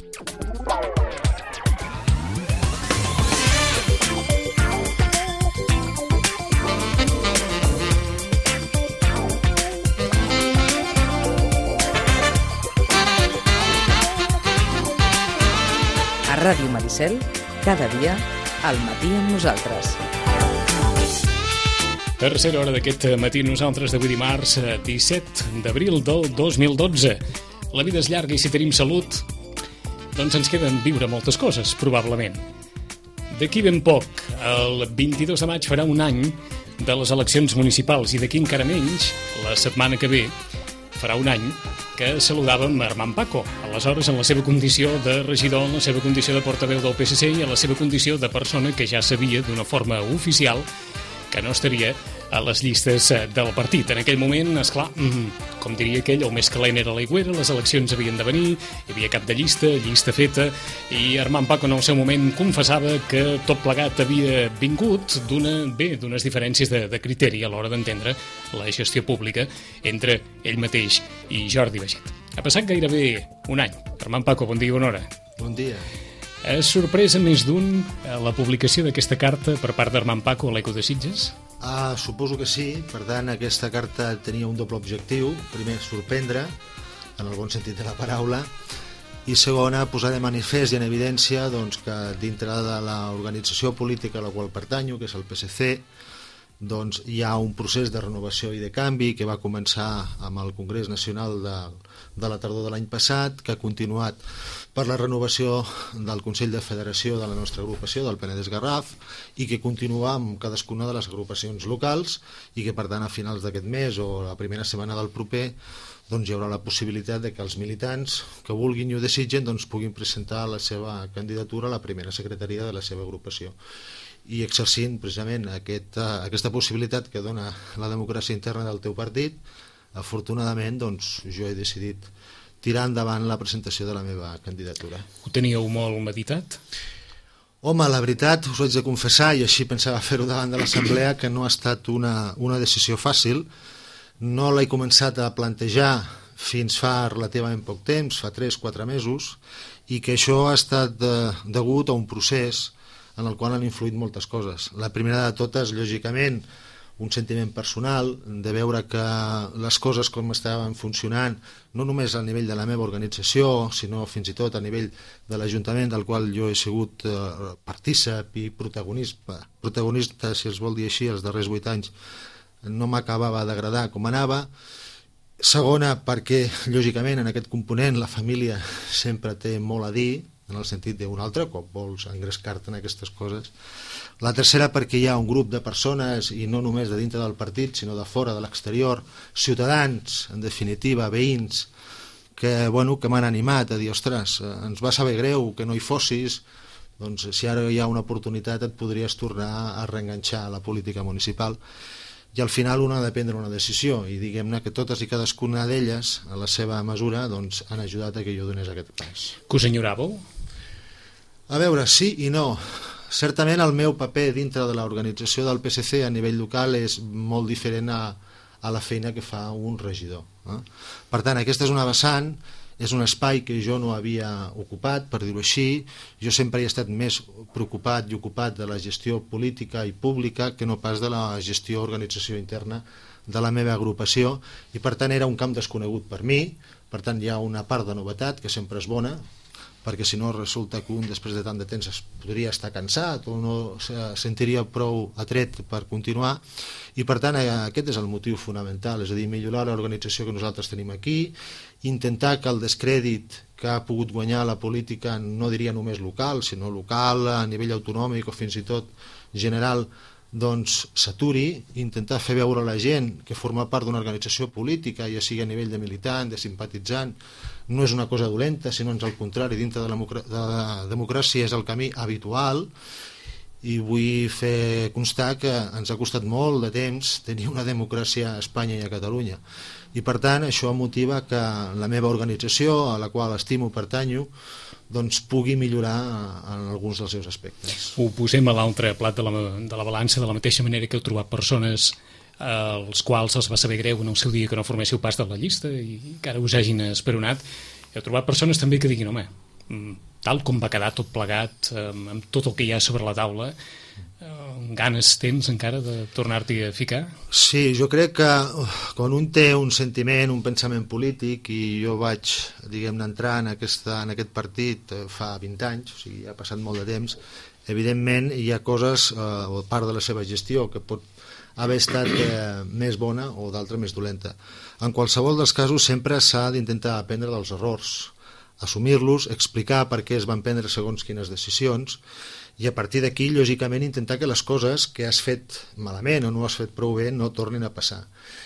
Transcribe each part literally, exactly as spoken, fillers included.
A Ràdio Maricel, cada dia, al matí amb nosaltres. Tercera hora d'aquest matí nosaltres d'avui dimarts, disset d'abril del dos mil dotze. La vida és llarga i si tenim salut, doncs ens queden viure moltes coses, probablement. D'aquí ben poc, el vint-i-dos de maig farà un any de les eleccions municipals i d'aquí encara menys, la setmana que ve, farà un any que saludàvem Armand Paco, aleshores en la seva condició de regidor, en la seva condició de portaveu del P S C i en la seva condició de persona que ja sabia d'una forma oficial que no estaria a les llistes del partit. En aquell moment, esclar, com diria aquell, el més calent era l'aigüera, les eleccions havien de venir, hi havia cap de llista, llista feta, i Armand Paco en el seu moment confessava que tot plegat havia vingut d'una, bé, d'unes diferències de, de criteri a l'hora d'entendre la gestió pública entre ell mateix i Jordi Baiget. Ha passat gairebé un any. Armand Paco, bon dia i bona hora. Bon dia. És sorpresa més d'un la publicació d'aquesta carta per part d'Armand Paco a l'Eco de Sitges? Ah, suposo que sí. Per tant, aquesta carta tenia un doble objectiu. Primer, sorprendre, en el bon sentit de la paraula, i segona, posar de manifest i en evidència doncs, que dintre de l'organització política a la qual pertanyo, que és el P S C, doncs, hi ha un procés de renovació i de canvi que va començar amb el Congrés Nacional de, de la tardor de l'any passat, que ha continuat per la renovació del Consell de Federació de la nostra agrupació, del Penedès Garraf, i que continua amb cadascuna de les agrupacions locals i que, per tant, a finals d'aquest mes o la primera setmana del proper doncs, hi haurà la possibilitat de que els militants que vulguin i ho desitgen doncs, puguin presentar la seva candidatura a la primera secretaria de la seva agrupació. I exercint precisament aquesta, aquesta possibilitat que dona la democràcia interna del teu partit, afortunadament doncs, jo he decidit tirar endavant la presentació de la meva candidatura. Ho teníeu molt meditat? Home, la veritat, us ho haig de confessar, i així pensava fer-ho davant de l'assemblea, que no ha estat una, una decisió fàcil. No l'he començat a plantejar fins fa relativament poc temps, fa tres o quatre mesos, i que això ha estat de, degut a un procés en el qual han influït moltes coses. La primera de totes, lògicament, un sentiment personal de veure que les coses com estaven funcionant, no només a nivell de la meva organització, sinó fins i tot a nivell de l'Ajuntament, del qual jo he sigut eh, partícip i protagonista, protagonista, si es vol dir així, els darrers vuit anys, no m'acabava d'agradar com anava. Segona, perquè, lògicament, en aquest component la família sempre té molt a dir, en el sentit d'un altre cop vols engrescar-te en aquestes coses. La tercera, perquè hi ha un grup de persones, i no només de dintre del partit, sinó de fora, de l'exterior, ciutadans, en definitiva, veïns, que, bueno, que m'han animat a dir, ostres, ens va saber greu que no hi fossis, doncs si ara hi ha una oportunitat et podries tornar a reenganxar a la política municipal. I al final una ha de prendre una decisió, i diguem-ne que totes i cadascuna d'elles, a la seva mesura, doncs, han ajudat a que jo donés aquest pas. Que us enyoràveu? A veure, sí i no. Certament el meu paper dintre de l'organització del P S C a nivell local és molt diferent a, a la feina que fa un regidor. Eh? Per tant, aquesta és una vessant, és un espai que jo no havia ocupat, per dir-ho així. Jo sempre he estat més preocupat i ocupat de la gestió política i pública que no pas de la gestió organització interna de la meva agrupació, i per tant era un camp desconegut per mi. Per tant, hi ha una part de novetat que sempre és bona, perquè si no resulta que un després de tant de temps es podria estar cansat o no se sentiria prou atret per continuar, i per tant aquest és el motiu fonamental, és a dir, millorar l'organització que nosaltres tenim aquí, intentar que el descrèdit que ha pogut guanyar la política, no diria només local, sinó local, a nivell autonòmic o fins i tot general, doncs s'aturi, intentar fer veure a la gent que formar part d'una organització política, ja sigui a nivell de militant, de simpatitzant, no és una cosa dolenta, sinó ans al contrari, dintre de la, de la democràcia és el camí habitual, i vull fer constar que ens ha costat molt de temps tenir una democràcia a Espanya i a Catalunya, i per tant això motiva que la meva organització, a la qual estimo, pertanyo, doncs pugui millorar en alguns dels seus aspectes. Ho posem a l'altre plat de la, de la balança, de la mateixa manera que heu trobat persones als quals els va saber greu en el seu dia que no forméssiu pas de la llista i que ara us hagin esperonat. Heu trobat persones també que diguin, home, tal com va quedar tot plegat, amb tot el que hi ha sobre la taula, ganes tens encara de tornar-t'hi a ficar? Sí, jo crec que quan un té un sentiment, un pensament polític, i jo vaig, diguem-ne, entrar en, aquesta, en aquest partit fa vint anys, o sigui, ha passat molt de temps, evidentment hi ha coses, eh, o part de la seva gestió, que pot haver estat eh, més bona o d'altra més dolenta. En qualsevol dels casos sempre s'ha d'intentar aprendre dels errors, assumir-los, explicar per què es van prendre segons quines decisions, i a partir d'aquí, lògicament, intentar que les coses que has fet malament o no has fet prou bé no tornin a passar.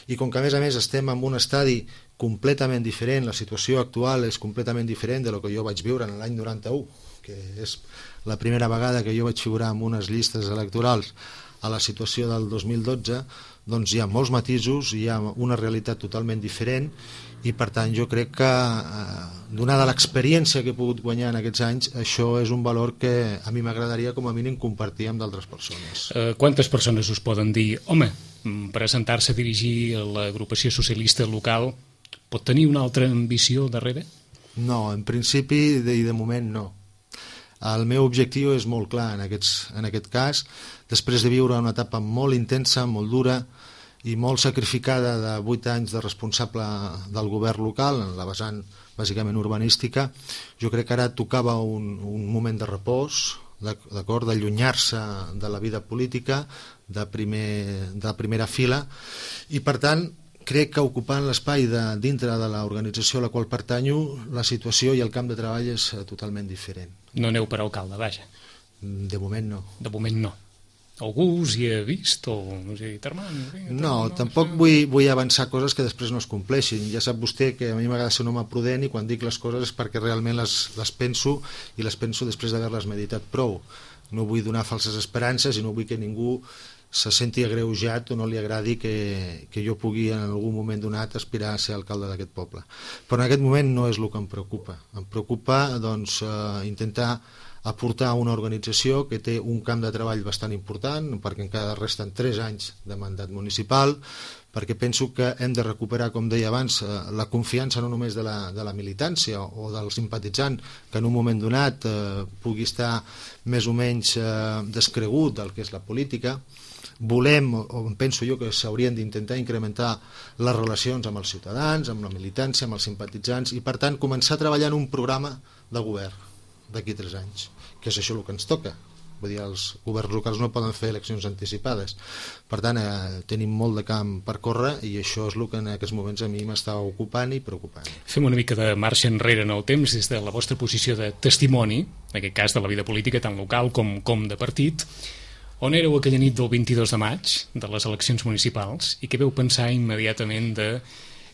I com que, a més a més, estem en un estadi completament diferent, la situació actual és completament diferent de lo que jo vaig viure en l'any noranta-u, que és la primera vegada que jo vaig figurar en unes llistes electorals a la situació del dos mil dotze, doncs hi ha molts matisos, hi ha una realitat totalment diferent, i per tant jo crec que, eh, donada l'experiència que he pogut guanyar en aquests anys, això és un valor que a mi m'agradaria com a mínim compartir amb d'altres persones. Eh, quantes persones us poden dir, home, presentar-se a dirigir l'agrupació socialista local pot tenir una altra ambició darrere? No, en principi de, i de moment no. El meu objectiu és molt clar en, aquests, en aquest cas, després de viure una etapa molt intensa, molt dura i molt sacrificada de vuit anys de responsable del govern local, en la vessant bàsicament urbanística, jo crec que ara tocava un, un moment de repòs, d'acord, d'allunyar-se de la vida política, de, primer, de primera fila, i per tant crec que ocupant l'espai de, dintre de l'organització a la qual pertanyo, la situació i el camp de treball és totalment diferent. No aneu per alcalde, vaja. De moment no. De moment no. Algú us hi ha vist o us hi ha dit, Armand? No, no, tampoc vull, vull avançar coses que després no es compleixin. Ja sap vostè que a mi m'agrada ser un home prudent i quan dic les coses és perquè realment les, les penso i les penso després d'haver-les meditat prou. No vull donar falses esperances i no vull que ningú se senti agreujat o no li agradi que, que jo pugui en algun moment donat aspirar a ser alcalde d'aquest poble. Però en aquest moment no és el que em preocupa. Em preocupa doncs, eh, intentar aportar una organització que té un camp de treball bastant important, perquè encara resten tres anys de mandat municipal, perquè penso que hem de recuperar, com deia abans, la confiança no només de la, de la militància o del simpatitzant, que en un moment donat eh, pugui estar més o menys eh, descregut del que és la política. Volem, o penso jo, que s'haurien d'intentar incrementar les relacions amb els ciutadans, amb la militància, amb els simpatitzants, i per tant començar a treballar en un programa de govern d'aquí tres anys, que és això el que ens toca. Vull dir, els governs locals no poden fer eleccions anticipades. Per tant, eh, tenim molt de camp per córrer i això és el que en aquests moments a mi m'està ocupant i preocupant. Fem una mica de marxa enrere en el temps des de la vostra posició de testimoni, en aquest cas de la vida política tant local com, com de partit. On éreu aquella nit del vint-i-dos de maig de les eleccions municipals i què veu pensar immediatament de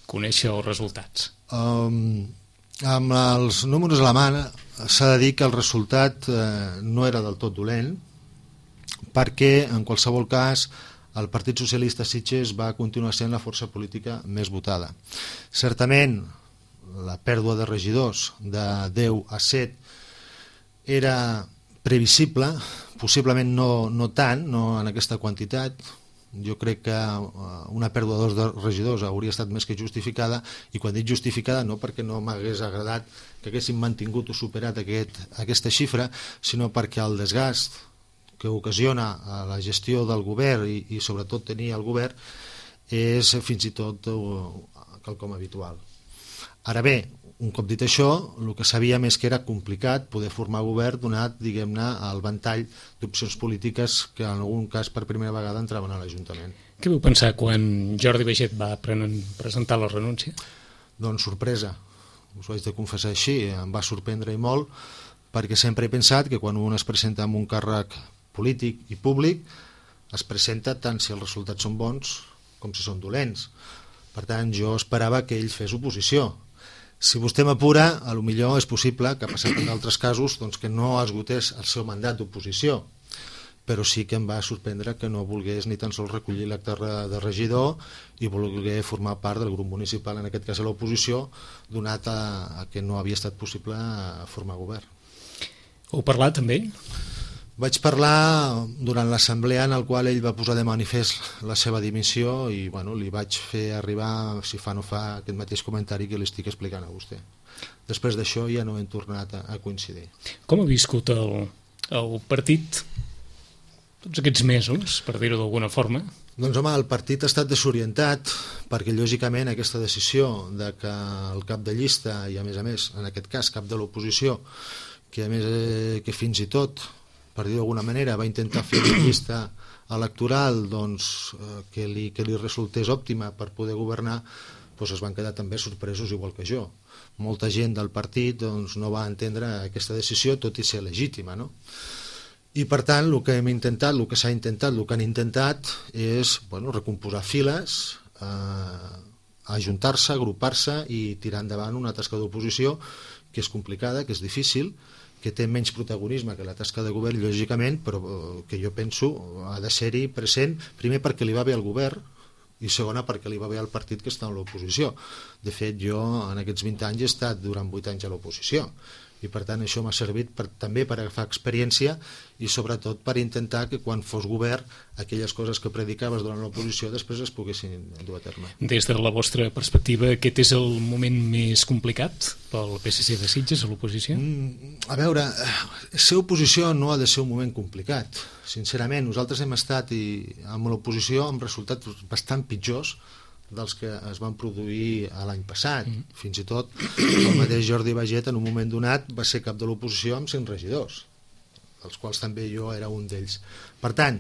conèixer els resultats? Um, amb els números a la mà s'ha de dir que el resultat eh, no era del tot dolent, perquè en qualsevol cas el Partit Socialista Sitges va continuar sent la força política més votada. Certament la pèrdua de regidors de deu a set era previsible, possiblement no, no tant, no en aquesta quantitat. Jo crec que una pèrdua de dos regidors hauria estat més que justificada, i quan dic justificada no perquè no m'hagués agradat que haguéssim mantingut o superat aquest, aquesta xifra, sinó perquè el desgast que ocasiona a la gestió del govern i, i sobretot tenir el govern és fins i tot quelcom habitual. Ara bé, un cop dit això, el que sabíem és que era complicat poder formar govern donat, diguem-ne, el ventall d'opcions polítiques que en algun cas per primera vegada entraven a l'Ajuntament. Què vau pensar quan Jordi Baiget va presentar la renúncia? Doncs sorpresa, us ho haig de confessar així, em va sorprendre i molt, perquè sempre he pensat que quan un es presenta amb un càrrec polític i públic es presenta tant si els resultats són bons com si són dolents. Per tant, jo esperava que ell fes oposició. Si vostè m'apura, a lo millor és possible que ha passat en altres casos doncs, que no esgotés el seu mandat d'oposició, però sí que em va sorprendre que no volgués ni tan sols recollir l'acte de regidor i volgué formar part del grup municipal, en aquest cas a l'oposició, donat a, a que no havia estat possible formar govern. Heu parlat amb ell? Vaig parlar durant l'assemblea en el qual ell va posar de manifest la seva dimissió i bueno, li vaig fer arribar, si fa no fa, aquest mateix comentari que li estic explicant a vostè. Després d'això ja no hem tornat a, a coincidir. Com ha viscut el, el partit tots aquests mesos, per dir-ho d'alguna forma? Doncs home, el partit ha estat desorientat perquè lògicament aquesta decisió de que el cap de llista i a més a més, en aquest cas cap de l'oposició, que a més eh, que fins i tot, per dir d'alguna manera, va intentar fer una llista electoral doncs, eh, que, li, que li resultés òptima per poder governar, doncs es van quedar també sorpresos igual que jo. Molta gent del partit doncs, no va entendre aquesta decisió, tot i ser legítima, no? I per tant el que hem intentat, el que s'ha intentat, el que han intentat és bueno, recomposar files, eh, ajuntar-se, agrupar-se i tirar endavant una tasca d'oposició que és complicada, que és difícil, que té menys protagonisme que la tasca de govern, lògicament, però que jo penso ha de ser-hi present, primer perquè li va bé al govern i segona perquè li va bé al partit que està en l'oposició. De fet, jo en aquests vint anys he estat durant vuit anys a l'oposició i per tant això m'ha servit per, també per agafar experiència i sobretot per intentar que quan fos govern aquelles coses que predicaves durant l'oposició després es poguessin dur a terme. Des de la vostra perspectiva, aquest és el moment més complicat pel P S C de Sitges a l'oposició? Mm, a veure, ser oposició no ha de ser un moment complicat. Sincerament, nosaltres hem estat i amb l'oposició amb resultats bastant pitjors dels que es van produir l'any passat. Mm. Fins i tot el mateix Jordi Baget en un moment donat va ser cap de l'oposició amb cent regidors, dels quals també jo era un d'ells. Per tant,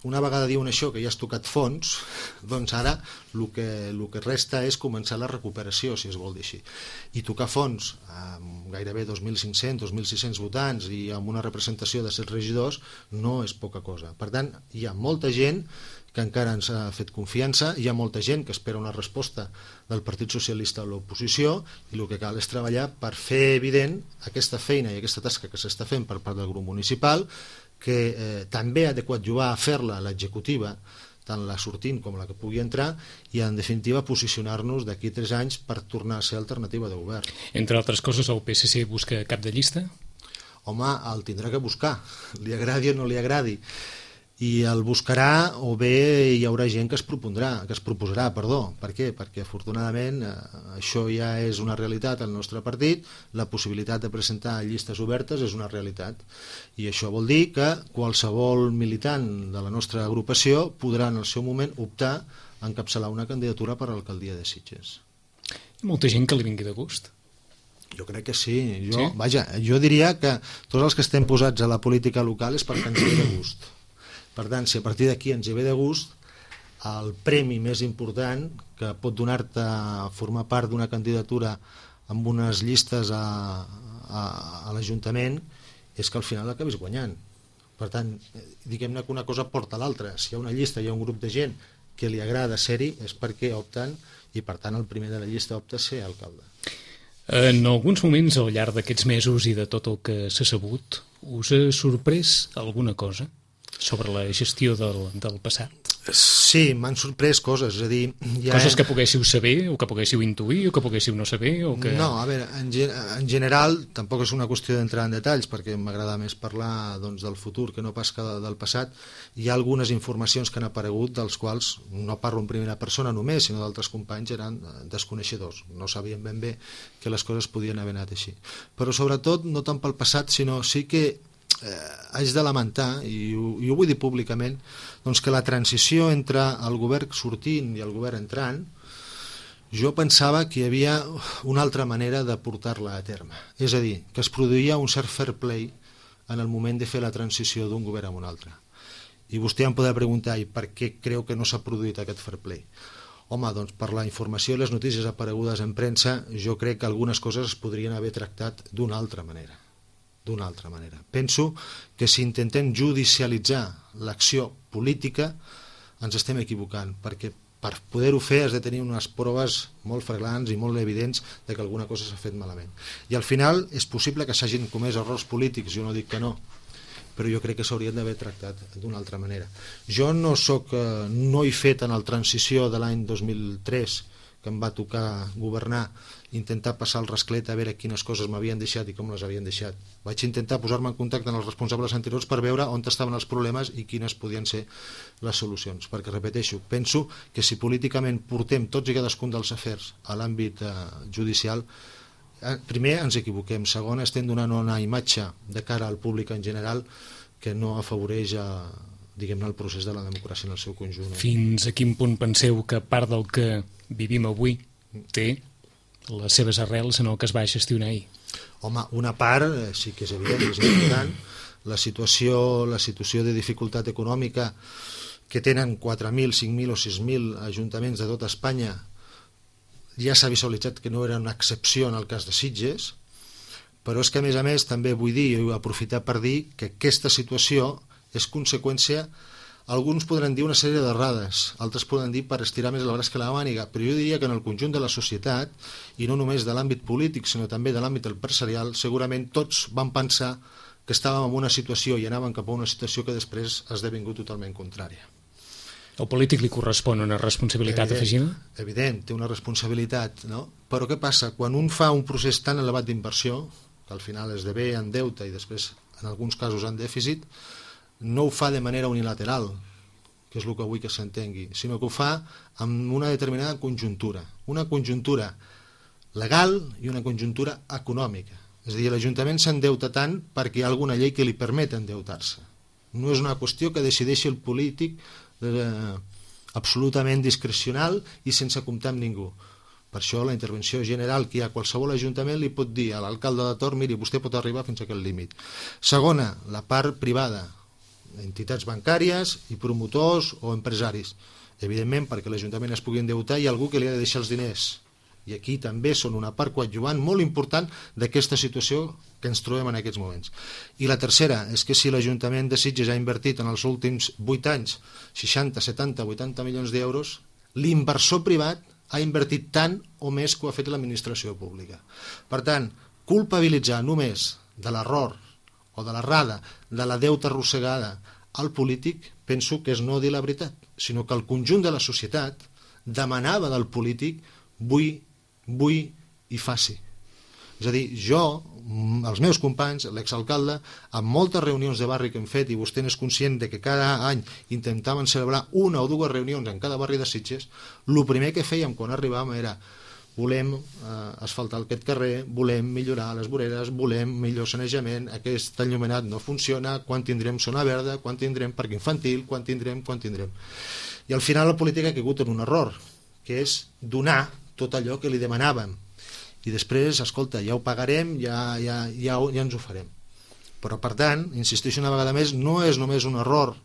una vegada diuen això, que ja has tocat fons, doncs ara el que, el que resta és començar la recuperació, si es vol dir així. I tocar fons amb gairebé dos mil cinc-cents, dos mil sis-cents votants i amb una representació de set regidors no és poca cosa. Per tant, hi ha molta gent que encara ens ha fet confiança, hi ha molta gent que espera una resposta del Partit Socialista a l'oposició i el que cal és treballar per fer evident aquesta feina i aquesta tasca que s'està fent per part del grup municipal, que eh, també ha de coadjuvar a fer-la l'executiva, tant la sortint com la que pugui entrar, i en definitiva posicionar-nos d'aquí tres anys per tornar a ser alternativa de govern. Entre altres coses, el P S C busca cap de llista? Home, el tindrà que buscar, li agradi o no li agradi. I el buscarà o bé hi haurà gent que es propondrà, que es proposarà, perdó. Per què? Perquè afortunadament eh, això ja és una realitat al nostre partit, la possibilitat de presentar llistes obertes és una realitat i això vol dir que qualsevol militant de la nostra agrupació podrà en el seu moment optar a encapçalar una candidatura per a l'alcaldia de Sitges. Hi ha molta gent que li vingui de gust? Jo crec que sí. Jo, sí? Vaja, jo diria que tots els que estem posats a la política local és perquè ens ve de gust. Per tant, si a partir d'aquí ens hi ve de gust, el premi més important que pot donar-te a formar part d'una candidatura amb unes llistes a, a, a l'Ajuntament és que al final acabis guanyant. Per tant, diguem-ne que una cosa porta a l'altra. Si hi ha una llista, hi ha un grup de gent que li agrada ser-hi, és perquè opten i per tant el primer de la llista opta a ser alcalde. En alguns moments al llarg d'aquests mesos i de tot el que s'ha sabut, us ha sorprès alguna cosa sobre la gestió del, del passat? Sí, m'han sorprès coses, és a dir... Ja coses hem... que poguéssiu saber, o que poguéssiu intuir, o que poguéssiu no saber, o que... No, a veure, en, en general tampoc és una qüestió d'entrar en detalls, perquè m'agrada més parlar doncs, del futur que no pas que del passat. Hi ha algunes informacions que han aparegut, dels quals no parlo en primera persona només, sinó d'altres companys eren desconeixedors, no sabien ben bé que les coses podien haver anat així. Però sobretot, no tant pel passat, sinó sí que eh, haig de lamentar, i ho, i ho vull dir públicament, doncs que la transició entre el govern sortint i el govern entrant, jo pensava que hi havia una altra manera de portar-la a terme. És a dir, que es produïa un cert fair play en el moment de fer la transició d'un govern a un altre. I vostè em podrà preguntar, i per què creu que no s'ha produït aquest fair play? Home, doncs per la informació i les notícies aparegudes en premsa, jo crec que algunes coses es podrien haver tractat d'una altra manera. D'una altra manera. Penso que si intentem judicialitzar l'acció política ens estem equivocant, perquè per poder-ho fer has de tenir unes proves molt flagrants i molt evidents de que alguna cosa s'ha fet malament. I al final és possible que s'hagin comès errors polítics, jo no dic que no, però jo crec que s'haurien d'haver tractat d'una altra manera. Jo no soc, no he fet en la transició de l'any dos mil tres que em va tocar governar, intentar passar el rasclet a veure quines coses m'havien deixat i com les havien deixat. Vaig intentar posar-me en contacte amb els responsables anteriors per veure on estaven els problemes i quines podien ser les solucions, perquè, repeteixo, penso que si políticament portem tots i cadascun dels afers a l'àmbit eh, judicial, eh, primer ens equivoquem, segon estem donant una imatge de cara al públic en general que no afavoreix a diguem-ne, el procés de la democràcia en el seu conjunt. Fins a quin punt penseu que part del que vivim avui té les seves arrels en el que es va gestionar ahir? Home, una part eh, sí que és evident, és important. La situació, la situació de dificultat econòmica que tenen quatre mil, cinc mil o sis mil ajuntaments de tota Espanya, ja s'ha visualitzat que no era una excepció en el cas de Sitges, però és que a més a més també vull dir i aprofitar per dir que aquesta situació és conseqüència, alguns podran dir una sèrie d'errades, altres poden dir per estirar més el braç que la màniga, però jo diria que en el conjunt de la societat, i no només de l'àmbit polític, sinó també de l'àmbit empresarial, segurament tots van pensar que estàvem en una situació i anàvem cap a una situació que després ha esdevingut totalment contrària. Al polític li correspon una responsabilitat afegida? Evident, té una responsabilitat, no? Però què passa? Quan un fa un procés tan elevat d'inversió, que al final esdevé en deute i després en alguns casos en dèficit, no ho fa de manera unilateral, que és el que vull que s'entengui, sinó que ho fa amb una determinada conjuntura, una conjuntura legal i una conjuntura econòmica. És a dir, l'Ajuntament s'endeuta tant perquè hi ha alguna llei que li permet endeutar-se. No és una qüestió que decideixi el polític eh, absolutament discrecional i sense comptar amb ningú. Per això la intervenció general que hi ha a qualsevol ajuntament li pot dir a l'alcalde de torn, miri, vostè pot arribar fins a aquest límit. Segona, la part privada, entitats bancàries i promotors o empresaris. Evidentment, perquè l'Ajuntament es pugui endeutar, hi ha algú que li ha de deixar els diners. I aquí també són una part coadjuvant molt important d'aquesta situació que ens trobem en aquests moments. I la tercera és que si l'Ajuntament de Sitges ha invertit en els últims vuit anys seixanta, setanta, vuitanta milions d'euros, l'inversor privat ha invertit tant o més que ho ha fet l'administració pública. Per tant, culpabilitzar només de l'error o de l'errada, de la deuta arrossegada al polític, penso que és no dir la veritat, sinó que el conjunt de la societat demanava del polític vull, vull i faci. És a dir, jo, els meus companys, l'exalcalde, amb moltes reunions de barri que hem fet, i vostè n'és conscient de que cada any intentaven celebrar una o dues reunions en cada barri de Sitges, el primer que fèiem quan arribàvem era volem eh, asfaltar aquest carrer, volem millorar les voreres, volem millor sanejament, aquest enllumenat no funciona, quan tindrem zona verda, quan tindrem parc infantil, quan tindrem, quan tindrem. I al final la política ha caigut en un error, que és donar tot allò que li demanàvem. I després, escolta, ja ho pagarem, ja, ja, ja, ja ens ho farem. Però, per tant, insisteixo una vegada més, no és només un error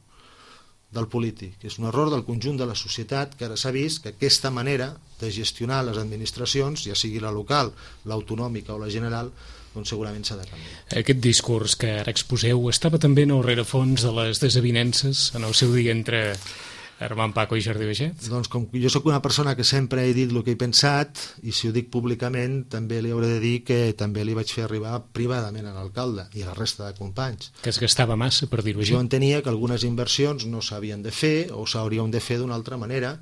del polític, és un error del conjunt de la societat, que ara s'ha vist que aquesta manera de gestionar les administracions, ja sigui la local, l'autonòmica o la general, doncs segurament s'ha de canviar. Aquest discurs que ara exposeu estava també en el rerefons de les desavinences en el seu dia entre Armand Paco i Jordi Baixet? Doncs com jo sóc una persona que sempre he dit el que he pensat, i si ho dic públicament també li hauré de dir que també li vaig fer arribar privadament a l'alcalde i a la resta de companys. Que es gastava massa, per dir-ho així. Jo entenia que algunes inversions no s'havien de fer o s'haurien de fer d'una altra manera,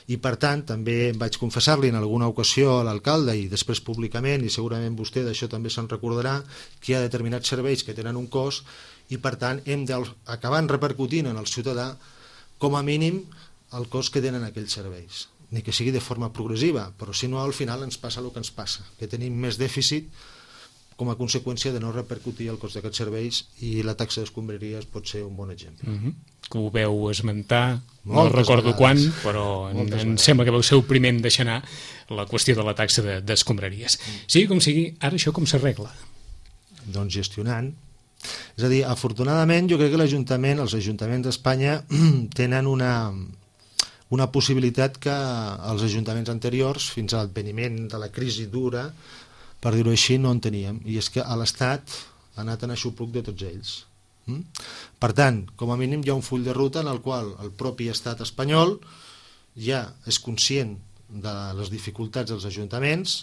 i per tant també vaig confessar-li en alguna ocasió a l'alcalde i després públicament, i segurament vostè d'això també se'n recordarà, que hi ha determinats serveis que tenen un cost i per tant hem d'acabar repercutint en el ciutadà com a mínim el cost que tenen aquells serveis, ni que sigui de forma progressiva, però si no al final ens passa el que ens passa, que tenim més dèficit com a conseqüència de no repercutir el cost d'aquests serveis, i la taxa d'escombraries pot ser un bon exemple. Mm-hmm. Que ho veu esmentar, Moltes no recordo vegades. quan, però en, em sembla que vau ser el primer en deixar anar la qüestió de la taxa d'escombraries. De, mm. Sigui com sigui, ara això com s'arregla? Doncs gestionant. És a dir, afortunadament jo crec que l'Ajuntament, els ajuntaments d'Espanya tenen una, una possibilitat que els ajuntaments anteriors, fins a l'adveniment de la crisi dura, per dir-ho així, no en teníem, i és que a l'Estat ha anat en aixopluc de tots ells. Mm? Per tant, com a mínim hi ha un full de ruta en el qual el propi Estat espanyol ja és conscient de les dificultats dels ajuntaments,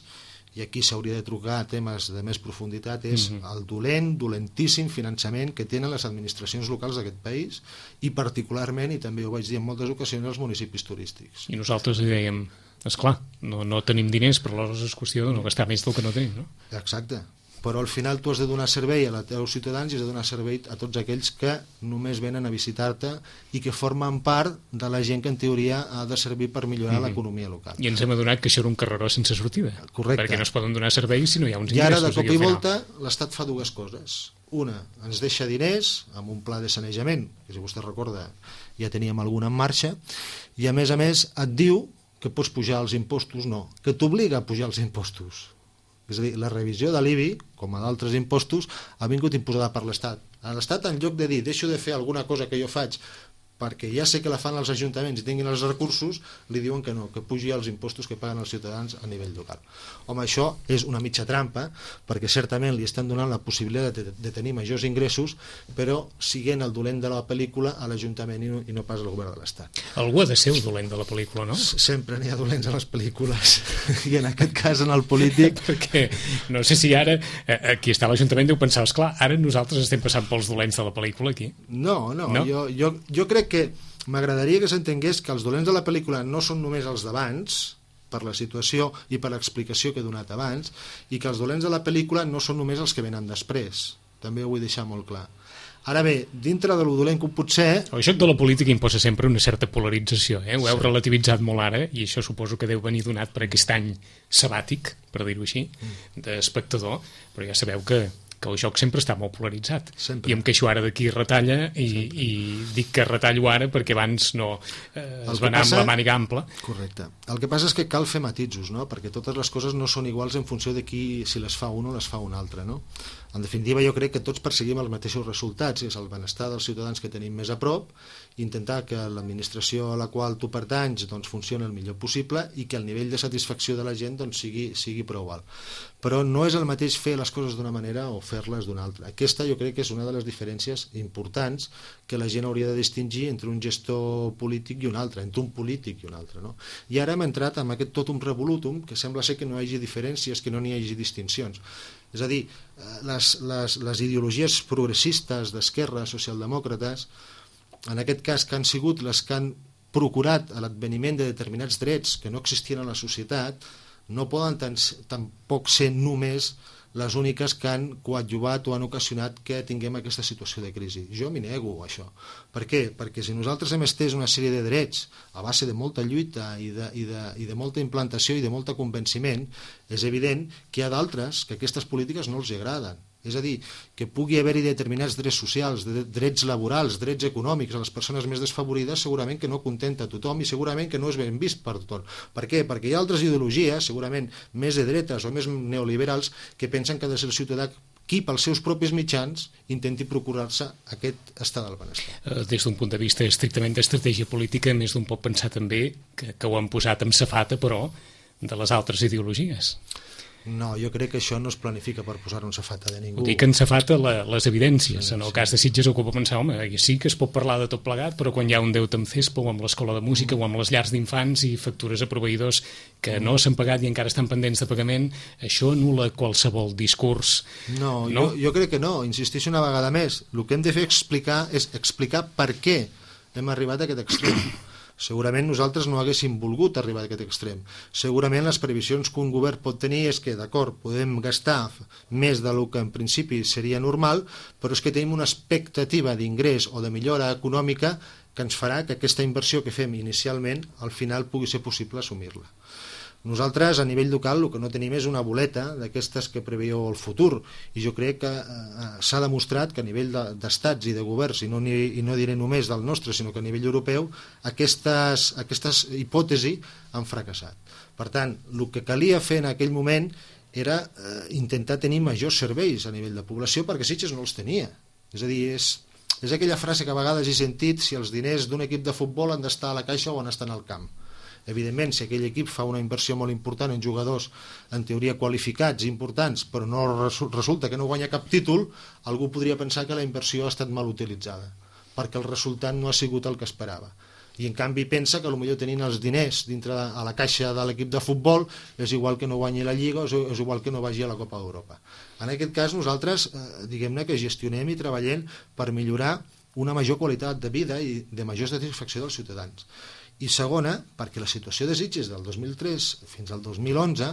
i aquí s'hauria de trucar a temes de més profunditat, és mm-hmm. el dolent, dolentíssim finançament que tenen les administracions locals d'aquest país, i particularment, i també ho vaig dir en moltes ocasions, els municipis turístics. I nosaltres li dèiem, esclar, no, no tenim diners, però aleshores és qüestió de no gastar més del que no tenim, no? Exacte. Però al final tu has de donar servei a els teus ciutadans i has de donar servei a tots aquells que només venen a visitar-te i que formen part de la gent que en teoria ha de servir per millorar mm-hmm. l'economia local. I ens hem adonat que això era un carreró sense sortida. Correcte. Perquè no es poden donar serveis si no hi ha uns ingressos. I ara, de cop i volta, l'Estat fa dues coses. Una, ens deixa diners amb un pla de sanejament, que si vostè recorda ja teníem alguna en marxa, i a més a més et diu que pots pujar els impostos, no, que t'obliga a pujar els impostos. És a dir, la revisió de l'I B I, com a d'altres impostos, ha vingut imposada per l'Estat. L'Estat, en lloc de dir, deixo de fer alguna cosa que jo faig perquè ja sé que la fan els ajuntaments i tinguin els recursos, li diuen que no, que pugi els impostos que paguen els ciutadans a nivell local. Home, això és una mitja trampa, perquè certament li estan donant la possibilitat de, de tenir majors ingressos, però siguent el dolent de la pel·lícula a l'Ajuntament i, no, i no pas al govern de l'Estat. Algú ha de ser el dolent de la pel·lícula, no? Sempre n'hi ha dolents a les pel·lícules, i en aquest cas en el polític... perquè no sé si ara, aquí està l'Ajuntament, deu pensar, esclar, ara nosaltres estem passant pels dolents de la pel·lícula aquí. No, no, no? Jo, jo, jo crec que m'agradaria que s'entengués que els dolents de la pel·lícula no són només els d'abans, per la situació i per l'explicació que he donat abans, i que els dolents de la pel·lícula no són només els que venen després. També ho vull deixar molt clar. Ara bé, dintre de lo dolent que pot ser... El joc de la política imposa sempre una certa polarització, eh? Ho heu sí. relativitzat molt ara, i això suposo que deu venir donat per aquest any sabàtic, per dir-ho així, d'espectador, però ja sabeu que que el joc sempre està molt polaritzat. Sempre. I em queixo ara d'aquí retalla i, i dic que retallo ara perquè abans no eh, es va anar passa... amb la màniga ampla. Correcte. El que passa és que cal fer matisos, no? Perquè totes les coses no són iguals en funció de qui, si les fa un o les fa un altre, no? En definitiva, jo crec que tots perseguim els mateixos resultats, és el benestar dels ciutadans que tenim més a prop, intentar que l'administració a la qual tu pertanys doncs, funcioni el millor possible i que el nivell de satisfacció de la gent doncs, sigui, sigui prou alt. Però no és el mateix fer les coses d'una manera o fer-les d'una altra. Aquesta jo crec que és una de les diferències importants que la gent hauria de distingir entre un gestor polític i un altre, entre un polític i un altre. No? I ara hem entrat amb aquest tot un revolutum que sembla ser que no hi hagi diferències, que no n'hi hagi distincions. És a dir, les, les, les ideologies progressistes d'esquerra, socialdemòcrates, en aquest cas que han sigut les que han procurat l'adveniment de determinats drets que no existien a la societat, no poden tan, tampoc ser només les úniques que han coadjuvat o han ocasionat que tinguem aquesta situació de crisi. Jo m'hi nego a això. Per què? Perquè si nosaltres hem estès una sèrie de drets a base de molta lluita i de, i de, i de molta implantació i de molt convenciment, és evident que hi ha d'altres que aquestes polítiques no els agraden. És a dir, que pugui haver-hi determinats drets socials, drets laborals, drets econòmics a les persones més desfavorides, segurament que no contenta a tothom i segurament que no és ben vist per tothom. Per què? Perquè hi ha altres ideologies, segurament més de dretes o més neoliberals, que pensen que ha de ser el ciutadà qui, pels seus propis mitjans, intenti procurar-se aquest estat del benestar. Des d'un punt de vista estrictament d'estratègia política, més d'un pot pensar també que, que ho han posat amb safata, però, de les altres ideologies. No, jo crec que això no es planifica per posar un safata de ningú. Ho dic en safata la, les evidències. Sí, en el sí. cas de Sitges ho puc pensar, home, sí que es pot parlar de tot plegat, però quan hi ha un deute amb CESPA o amb l'escola de música mm. o amb les llars d'infants i factures a proveïdors que mm. no s'han pagat i encara estan pendents de pagament, això anul·la qualsevol discurs. No, no? Jo, jo crec que no. Insisteixo una vegada més. El que hem de fer explicar és explicar per què hem arribat a aquest extrem. Segurament nosaltres no haguéssim volgut arribar a aquest extrem. Segurament les previsions que un govern pot tenir és que, d'acord, podem gastar més del que en principi seria normal, però és que tenim una expectativa d'ingrés o de millora econòmica que ens farà que aquesta inversió que fem inicialment al final pugui ser possible assumir-la. Nosaltres, a nivell local, el que no tenim és una boleta d'aquestes que preveieu el futur, i jo crec que eh, s'ha demostrat que a nivell d'estats i de governs, i no, ni, i no diré només del nostre, sinó que a nivell europeu, aquestes, aquestes hipòtesis han fracassat. Per tant, el que calia fer en aquell moment era eh, intentar tenir majors serveis a nivell de població, perquè Sitges no els tenia. És a dir, és, és aquella frase que a vegades he sentit, si els diners d'un equip de futbol han d'estar a la caixa o han d'estar al camp. Evidentment, si aquell equip fa una inversió molt important en jugadors en teoria qualificats i importants, però no resulta que no guanya cap títol, algú podria pensar que la inversió ha estat mal utilitzada, perquè el resultat no ha sigut el que esperava. I en canvi pensa que potser tenint els diners dintre de, a la caixa de l'equip de futbol és igual que no guanyi la Lliga o és igual que no vagi a la Copa d'Europa. En aquest cas nosaltres, eh, diguem-ne que gestionem i treballem per millorar una major qualitat de vida i de major satisfacció dels ciutadans. I segona, perquè la situació de Sitges del dos mil tres fins al dos mil onze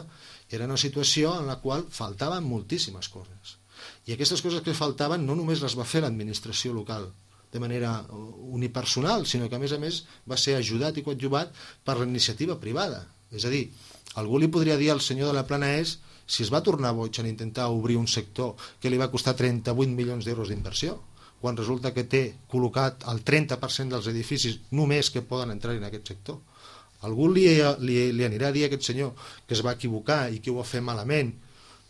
era una situació en la qual faltaven moltíssimes coses. I aquestes coses que faltaven no només les va fer l'administració local de manera unipersonal, sinó que a més a més va ser ajudat i coadjuvat per la iniciativa privada. És a dir, algú li podria dir al senyor de la Plana És si es va tornar boig en intentar obrir un sector que li va costar trenta-vuit milions d'euros d'inversió, quan resulta que té col·locat el trenta per cent dels edificis només que poden entrar en aquest sector. Algú li, li, li anirà a dir a aquest senyor que es va equivocar i que ho va fer malament?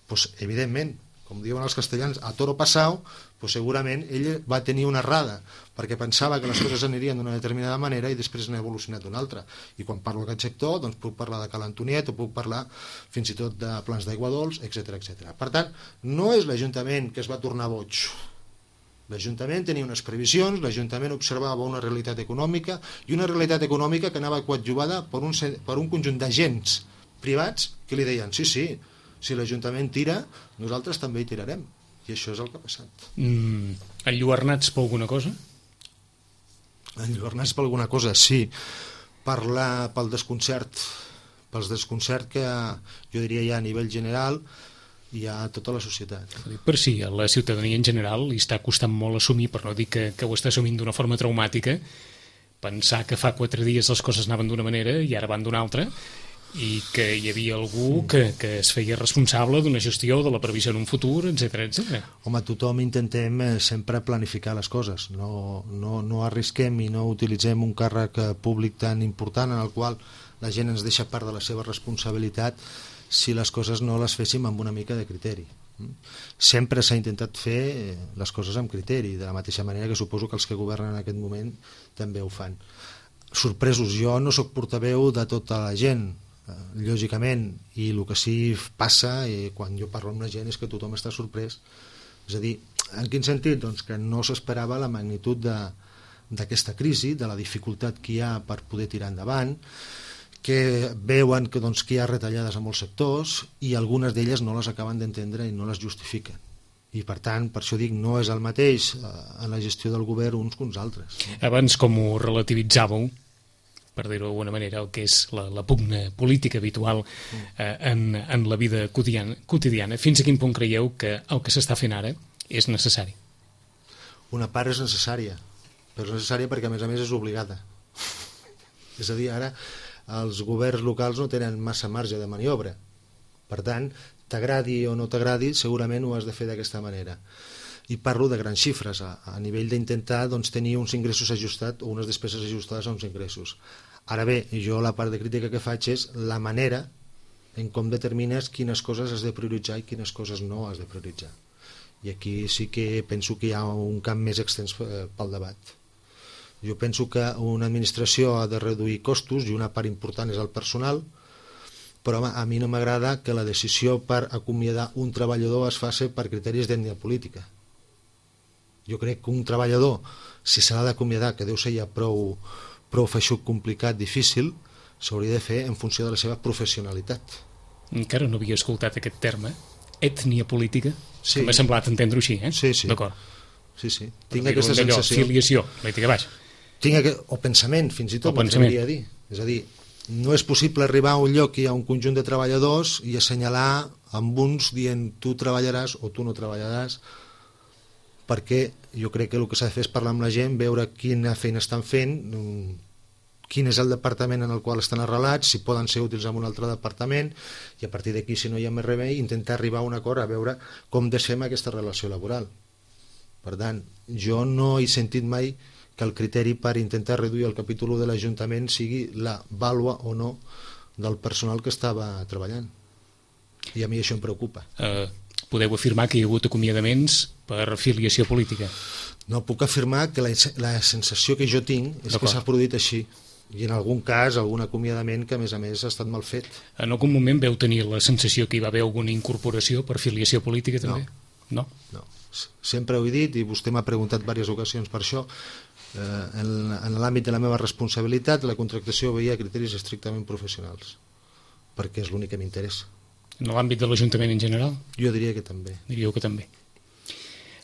Pues, evidentment, com diuen els castellans, a toro passau, pues segurament ell va tenir una errada, perquè pensava que les coses anirien d'una determinada manera i després n'ha evolucionat d'una altra. I quan parlo d'aquest sector, doncs puc parlar de Cal Antoniet o puc parlar fins i tot de plans d'aigua dolç, etcètera, etcètera. Per tant, no és l'Ajuntament que es va tornar boig. L'Ajuntament tenia unes previsions, l'Ajuntament observava una realitat econòmica i una realitat econòmica que anava coadjuvada per un, per un conjunt d'agents privats que li deien sí, sí, si l'Ajuntament tira, nosaltres també hi tirarem. I això és el que ha passat. Mm, enlluernats per alguna cosa? Enlluernats per alguna cosa, sí. Per la, pel desconcert, pels desconcert que jo diria ja a nivell general hi ha a tota la societat. Per si a la ciutadania en general li està costant molt assumir, per no dir que, que ho està assumint d'una forma traumàtica, pensar que fa quatre dies les coses anaven d'una manera i ara van d'una altra, i que hi havia algú que, que es feia responsable d'una gestió, de la previsió en un futur, etcètera, etcètera. Home, tothom intentem sempre planificar les coses, no, no, no arrisquem i no utilitzem un càrrec públic tan important en el qual la gent ens deixa part de la seva responsabilitat si les coses no les féssim amb una mica de criteri. Sempre s'ha intentat fer les coses amb criteri, de la mateixa manera que suposo que els que governen en aquest moment també ho fan. Sorpresos, jo no sóc portaveu de tota la gent, lògicament, i el que sí passa i quan jo parlo amb la gent és que tothom està sorprès. És a dir, en quin sentit? Doncs que no s'esperava la magnitud d'aquesta crisi, de la dificultat que hi ha per poder tirar endavant, que veuen que, doncs, que hi ha retallades a molts sectors i algunes d'elles no les acaben d'entendre i no les justifiquen. I per tant, per això dic, no és el mateix en la gestió del govern uns que uns altres. Abans com ho relativitzàveu, per dir-ho d'alguna manera, el que és la, la pugna política habitual eh, en, en la vida quotidiana, quotidiana, fins a quin punt creieu que el que s'està fent ara és necessari? Una part és necessària, però és necessària perquè a més a més és obligada. És a dir, ara els governs locals no tenen massa marge de maniobra. Per tant, t'agradi o no t'agradi, segurament ho has de fer d'aquesta manera. I parlo de grans xifres, a, a nivell d'intentar doncs, tenir uns ingressos ajustats o unes despeses ajustades a uns ingressos. Ara bé, jo la part de crítica que faig és la manera en com determines quines coses has de prioritzar i quines coses no has de prioritzar. I aquí sí que penso que hi ha un camp més extens pel debat. Jo penso que una administració ha de reduir costos i una part important és el personal, però a mi no m'agrada que la decisió per acomiadar un treballador es faci per criteris d'ètnia política. Jo crec que un treballador, si se l'ha d'acomiadar, que deu ser ja prou, prou feixuc, complicat, difícil, s'hauria de fer en funció de la seva professionalitat. Encara no havia escoltat aquest terme, ètnia política, sí. Que m'ha semblat entendre-ho així, eh? Sí, sí. D'acord. Sí, sí. Tinc aquesta sensació. Filiació, política, baix. Tinc aquest, o pensament, fins i tot, m'atreviria a dir. És a dir, no és possible arribar a un lloc que hi ha un conjunt de treballadors i assenyalar amb uns dient tu treballaràs o tu no treballaràs, perquè jo crec que el que s'ha de fer és parlar amb la gent, veure quina feina estan fent, quin és el departament en el qual estan arrelats, si poden ser útils en un altre departament, i a partir d'aquí, si no hi ha més remei, intentar arribar a un acord a veure com deixem aquesta relació laboral. Per tant, jo no he sentit mai que el criteri per intentar reduir el capítol de l'Ajuntament sigui la vàlua o no del personal que estava treballant. I a mi això em preocupa. Uh, podeu afirmar que hi ha hagut acomiadaments per filiació política? No, puc afirmar que la, la sensació que jo tinc és que s'ha produït així. I en algun cas, algun acomiadament que a més a més ha estat mal fet. En algun moment veu tenir la sensació que hi va haver alguna incorporació per filiació política també? No. No? No. Sempre ho he dit i vostè m'ha preguntat diverses ocasions per això. Eh, en en l'àmbit de la meva responsabilitat la contractació veia criteris estrictament professionals perquè és l'únic que m'interessa. En l'àmbit de l'Ajuntament en general? Jo diria que també. Diríeu que també.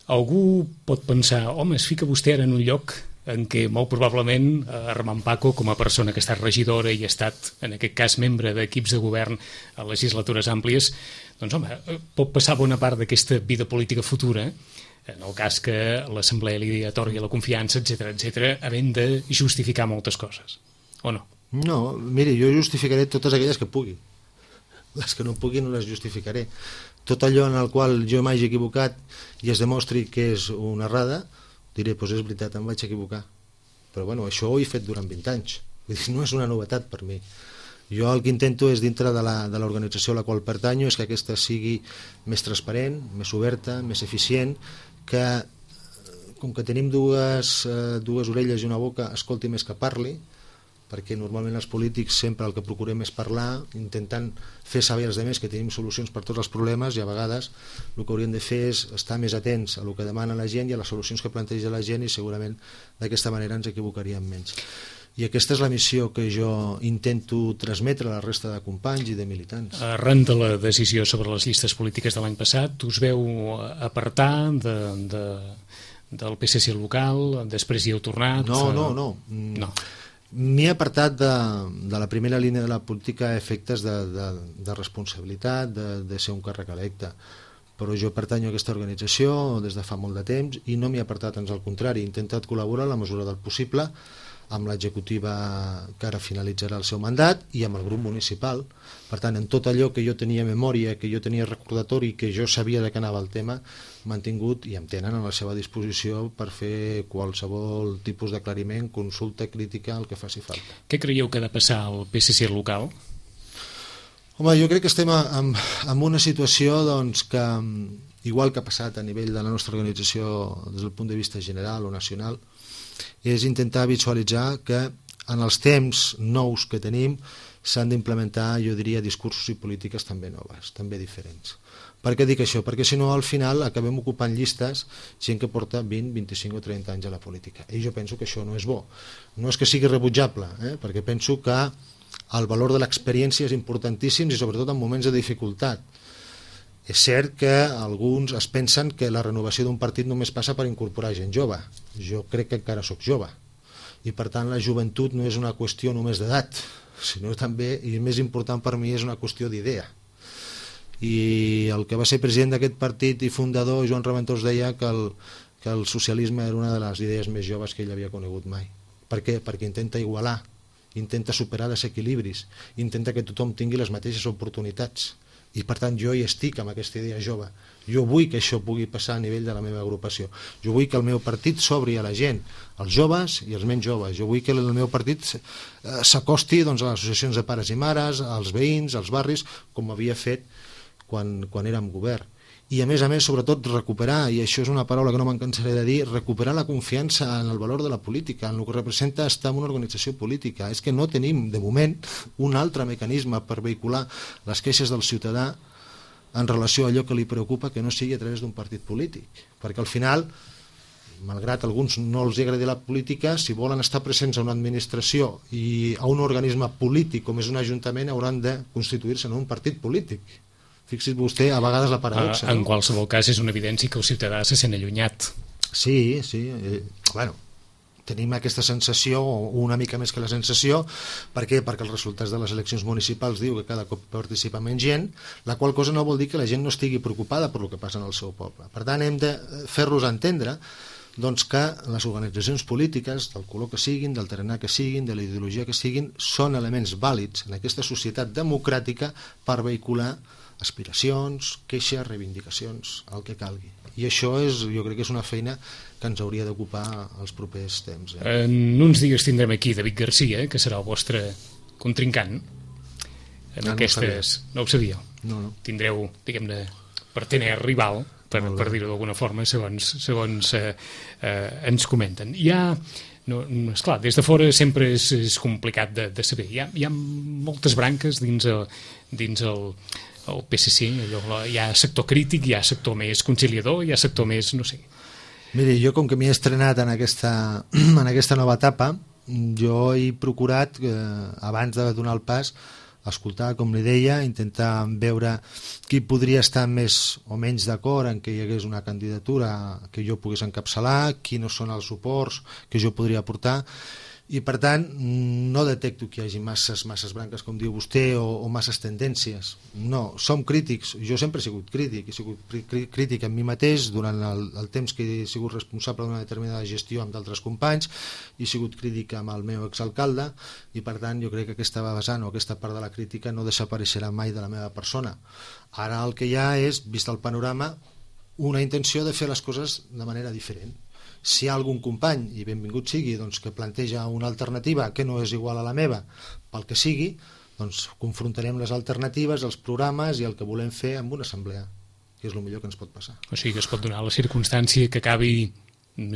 Algú pot pensar, home, es fica vostè ara en un lloc en què molt probablement Armand Paco, com a persona que ha estat regidora i ha estat, en aquest cas, membre d'equips de govern a legislatures àmplies, doncs, home, pot passar bona part d'aquesta vida política futura, en el cas que l'assemblea li atorgui la confiança, etcètera, etcètera, havent de justificar moltes coses, o no? No, miri, jo justificaré totes aquelles que pugui. Les que no pugui no les justificaré. Tot allò en el qual jo m'hagi equivocat i es demostri que és una errada, diré, doncs és veritat, em vaig equivocar. Però bueno, això ho he fet durant vint anys. Vull dir, no és una novetat per mi. Jo el que intento és, dintre de la, de l'organització a la qual pertanyo, és que aquesta sigui més transparent, més oberta, més eficient, que com que tenim dues, eh, dues orelles i una boca, escolti més que parli, perquè normalment els polítics sempre el que procurem és parlar, intentant fer saber als altres que tenim solucions per tots els problemes, i a vegades el que hauríem de fer és estar més atents a el que demana la gent i a les solucions que planteja la gent, i segurament d'aquesta manera ens equivocaríem menys. I aquesta és la missió que jo intento transmetre a la resta de companys i de militants. Arran de la decisió sobre les llistes polítiques de l'any passat, us veu apartar de, de, del P S C local, després hi heu tornat? No, no, no. No. M'he apartat de, de la primera línia de la política a efectes de, de, de responsabilitat, de, de ser un càrrec electe. Però jo pertanyo a aquesta organització des de fa molt de temps i no m'he apartat, ans al contrari, he intentat col·laborar a la mesura del possible amb l'executiva que ara finalitzarà el seu mandat i amb el grup municipal. Per tant, en tot allò que jo tenia memòria, que jo tenia recordatori, que jo sabia de què anava el tema, m'han tingut i em tenen a la seva disposició per fer qualsevol tipus d'aclariment, consulta, crítica, el que faci falta. Què creieu que ha de passar al P S C local? Home, jo crec que estem en, en una situació doncs, que, igual que ha passat a nivell de la nostra organització des del punt de vista general o nacional, és intentar visualitzar que en els temps nous que tenim s'han d'implementar, jo diria, discursos i polítiques també noves, també diferents. Per què dic això? Perquè si no, al final acabem ocupant llistes gent que porta vint, vint-i-cinc o trenta anys a la política. I jo penso que això no és bo. No és que sigui rebutjable, eh? perquè penso que el valor de l'experiència és importantíssim i sobretot en moments de dificultat. És cert que alguns es pensen que la renovació d'un partit només passa per incorporar gent jove. Jo crec que encara sóc jove. I per tant la joventut no és una qüestió només d'edat, sinó també, i més important per mi, és una qüestió d'idea. I el que va ser president d'aquest partit i fundador, Joan Raventós, deia que el, que el socialisme era una de les idees més joves que ell havia conegut mai. Per què? Perquè intenta igualar, intenta superar desequilibris, intenta que tothom tingui les mateixes oportunitats. I per tant jo hi estic amb aquesta idea jove. Jo vull que això pugui passar a nivell de la meva agrupació. Jo vull que el meu partit s'obri a la gent, als joves i als menys joves. Jo vull que el meu partit s'acosti doncs, a les associacions de pares i mares, als veïns, als barris, com havia fet quan, quan érem govern. I a més a més, sobretot, recuperar, i això és una paraula que no me'n cansaré de dir, recuperar la confiança en el valor de la política, en el que representa estar en una organització política. És que no tenim, de moment, un altre mecanisme per vehicular les queixes del ciutadà en relació a allò que li preocupa, que no sigui a través d'un partit polític. Perquè al final, malgrat a alguns no els agradi la política, si volen estar presents a una administració i a un organisme polític com és un ajuntament, hauran de constituir-se en un partit polític. Fixi's vostè, a vegades la paradoxa. En qualsevol cas és una evidència que el ciutadà se sent allunyat. Sí, sí. Eh, bueno, tenim aquesta sensació, o una mica més que la sensació. Per què? Perquè els resultats de les eleccions municipals diu que cada cop participa menys gent, la qual cosa no vol dir que la gent no estigui preocupada per el que passa en el seu poble. Per tant, hem de fer-los entendre doncs, que les organitzacions polítiques, del color que siguin, del tarannà que siguin, de la ideologia que siguin, són elements vàlids en aquesta societat democràtica per vehicular aspiracions, queixes, reivindicacions, el que calgui. I això és, jo crec que és una feina que ens hauria d'ocupar els propers temps. Eh? En uns dies tindrem aquí David Garcia, que serà el vostre contrincant en ah, aquestes... No, no ho sabíeu? No, no. Tindreu, diguem-ne, partener rival, per, per dir-ho d'alguna forma, segons, segons eh, eh, ens comenten. Hi ha... No, esclar, des de fora sempre és, és complicat de, de saber. Hi ha, hi ha moltes branques dins el, dins el, el P S C. Allò, hi ha sector crític, hi ha sector més conciliador, hi ha sector més, no sé. Miri, jo com que m'he estrenat en aquesta, en aquesta nova etapa, jo he procurat, eh, abans de donar el pas, escoltar, com li deia, intentar veure qui podria estar més o menys d'acord en que hi hagués una candidatura que jo pogués encapçalar, quins són els suports que jo podria aportar, i per tant no detecto que hi hagi masses, masses branques, com diu vostè, o, o masses tendències. No, som crítics, jo sempre he sigut crític, he sigut crític amb mi mateix durant el, el temps que he sigut responsable d'una determinada gestió amb d'altres companys, he sigut crític amb el meu exalcalde, i per tant jo crec que aquesta vessant o aquesta part de la crítica no desapareixerà mai de la meva persona. Ara el que hi ha és, vist el panorama, una intenció de fer les coses de manera diferent. Si hi ha algun company, i benvingut sigui, doncs, que planteja una alternativa que no és igual a la meva, pel que sigui, doncs confrontarem les alternatives, els programes i el que volem fer amb una assemblea, que és el millor que ens pot passar. O sigui que es pot donar la circumstància que acabi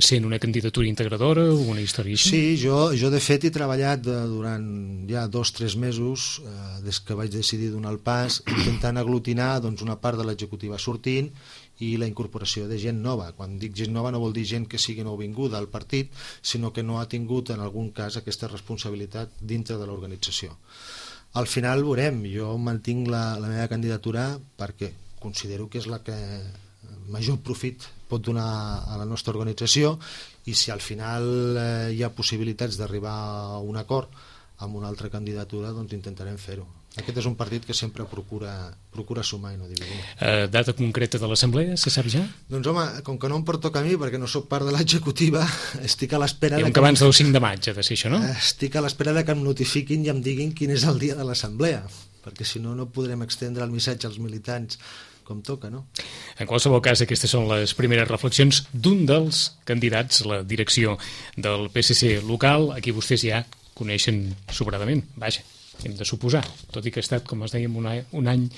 sent una candidatura integradora o una història així? Sí, jo, jo de fet he treballat durant ja dos o tres mesos, eh, des que vaig decidir donar el pas, intentant aglutinar doncs, una part de l'executiva sortint i la incorporació de gent nova. Quan dic gent nova no vol dir gent que sigui nouvinguda al partit, sinó que no ha tingut en algun cas aquesta responsabilitat dintre de l'organització. Al final veurem, jo mantinc la, la meva candidatura perquè considero que és la que major profit pot donar a la nostra organització, i si al final eh, hi ha possibilitats d'arribar a un acord amb una altra candidatura, doncs intentarem fer-ho. Aquest és un partit que sempre procura, procura sumar i no dividir. Eh, data concreta de l'assemblea, se sap ja? Doncs home, com que no em pertoca a mi, perquè no sóc part de l'executiva, estic a l'espera... Diuen que abans del cinc de maig ha de ser això, no? Estic a l'espera de que em notifiquin i em diguin quin és el dia de l'assemblea, perquè si no, no podrem extendre el missatge als militants com toca, no? En qualsevol cas, aquestes són les primeres reflexions d'un dels candidats a la direcció del P S C local, a qui vostès ja coneixen sobradament, vaja, hem de suposar, tot i que ha estat, com es dèiem, un any, un any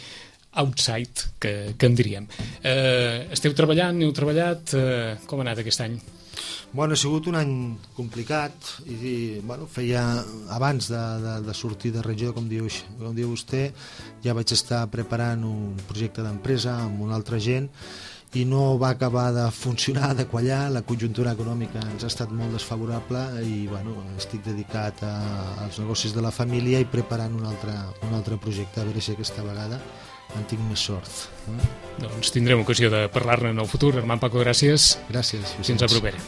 outside, que, que en diríem. Eh, esteu treballant, heu treballat, eh, com ha anat aquest any? Bueno, ha sigut un any complicat i, i bueno, feia abans de, de, de sortir de regió, com diu, com diu vostè, ja vaig estar preparant un projecte d'empresa amb una altra gent i no va acabar de funcionar, de quallar, la conjuntura econòmica ens ha estat molt desfavorable i bueno, estic dedicat a, als negocis de la família i preparant un altre, un altre projecte, a veure si aquesta vegada en tinc més sort. Eh? Doncs tindrem ocasió de parlar-ne en el futur. Armand Paco, gràcies. Gràcies. Fins la propera.